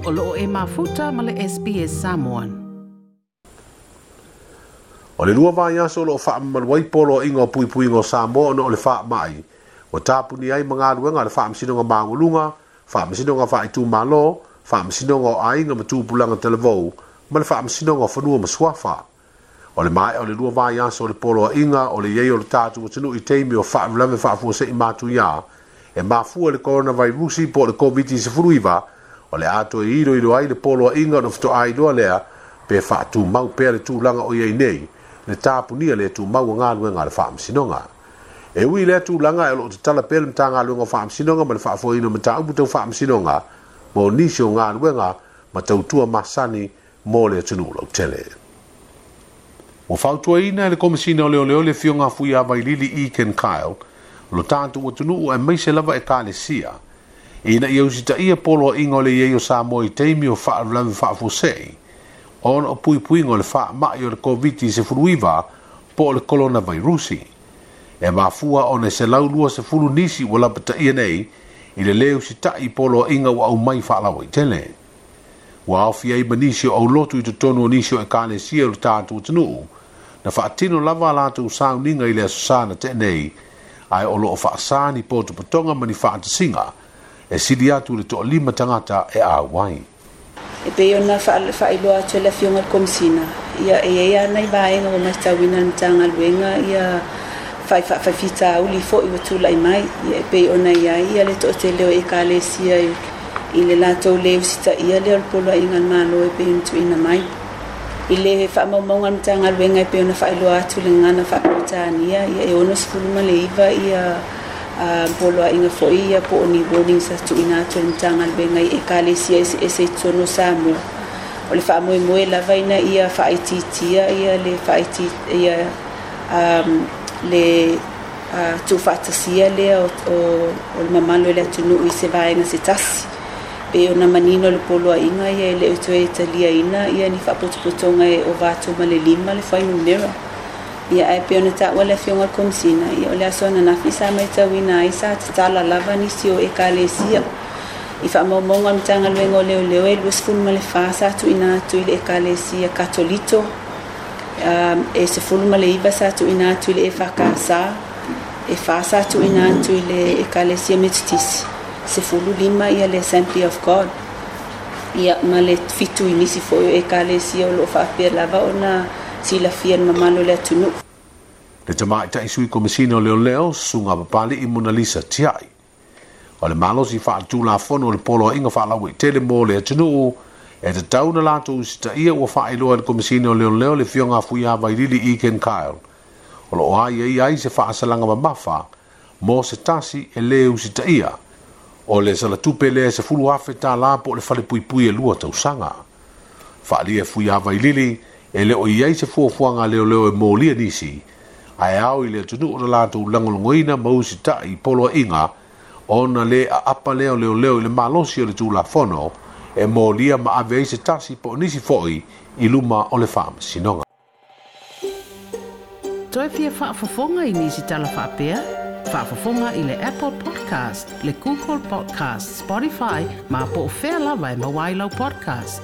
O loo e mafuta ma le SBS Samoan. O le 2 vaiaso o loo faamamalu ai poloaiga o puipuiga o Samoa ona o le faamai, ua tapuni ai ma galuega a le Faamasinoga Maualuga, Faamasinoga Faaitumalo, Faamasinoga o Aiga ma Tupulaga Talavou, ma le Faamasinoga o Fanua ma Suafa. O le maea o le 2 vaiaso o le poloaiga o le i ai o le tatou atunuu i taimi o faalavelave faafuasei matuia, e mafua i le koronavairusi po o le Koviti-19, o le a toe iloilo ai le poloaiga ona faatoa iloa lea pe faatumau pea le tulaga o i ai nei le tapunia le tumau o galuega a le Faamasinoga. E ui i lea tulaga e o loo tatala pea le Matagaluega o Faamasinoga ma le faafoeina o mataupu tau faamasinoga mo nisi o galuega ma tautua masani mo le atunuu lautele. Ua fautuaina e le Komesina o Leoleo le Afioga a Fuiavailili Ekin Kyle lo tatou atunuu aemaise lava ekalesia ina ia usitaia poloaiga o le i ai o Samoa i taimi o faalavelave faafuasei ona o puipuiga o le faamai o le Koviti-19 po o le koronavairusi. E mafua ona e 120 nisi ua lapataia nei i le lē usitai i poloaiga ua aumai faalauaitele. Ua aofia ai ma nisi o aulotu i totonu o nisi o ekalesia o le tatou atunuu na faatino lava a latou sauniga i le Aso Sa na tea nei, ae o loo faasa ni potopotoga ma ni faatasiga e sili atu i le 5 tagata e auai. E pei ona faailoa atu e le Afioga i le Komesina, ia e i ai lava nai vaega ua matauina e le Matagaluega ia faifitauli foi ua tulai mai, ia e pei ona i ai ia le toatele o ekalesia i le latou le usitaia lea o le poloaiga a le Malo e pei ona tuuina mai. I le faamaumauga a le Matagaluega e pei ona faailoa atu i le gagana faa-Peretania, ia e 69 ia poloaiga foi ia po o ni warnings sa tuuina atu e le Matagaluega i ekalesia eseese i totonu o Samoa. O le faamoemoe lava ina ia faaitiitia ia le ia le tuufaatasia lea o le mamalu o le atunuu i se vaega se tasi. Pei ona manino le poloaiga ia e le o toe taliaina ia ni faapotopotoga e ova atu ma le 5 le fuainumera. Ia ae pei ona taua le Afioga i le Komesina, ia o le aso ananafi sa matauina ai sa tatala lava nisi o ekalesia. I faamaumauga a le Matagaluega o Leoleo e 24 sa tuuina atu i le ekalesia Katolito, e 19 sa tuuina atu i le EFKS, e 4 sa tuuina atu i le ekalesia Metotisi, 15 ia le Assembly of God, ia ma le 7 i nisi foi o ekalesia o loo faapea lava ona silafia e le mamalu o le atunuu. Le Tamaitai Sui Komesina o Leoleo, Susuga Papali'i Monalisa Tiai. O le malosi faaletulafono o le Poloaiga Faalauaitele mo le atunuu e tatau ona latou usitaia ua faailoa e le Komesina o Leoleo le Afioga a Fuiavailili Ekin Kyle o loo aiaia ai se faasalaga mamafa mo se tasi e lē usitaia o le salatupe lea e $10,000 po o le falepuipui e 2 tausaga. Faaalia e Fuiavailili e le o i ai se fuafuaga a leoleo e molia nisi, ae ao i le atunuu ona latou lagolagoina ma usitai i poloaiga ona le aapa lea o leoleo i le malosi o le Tulafono e molia ma ave ai se tasi po o nisi foi i luma o le Faamasinoga. Toe fia faafofoga i nisi tala faapea? Faafofoga i le Apple Podcast, le Google Podcast, Spotify, ma po o fea lava e maua ai lau podcast.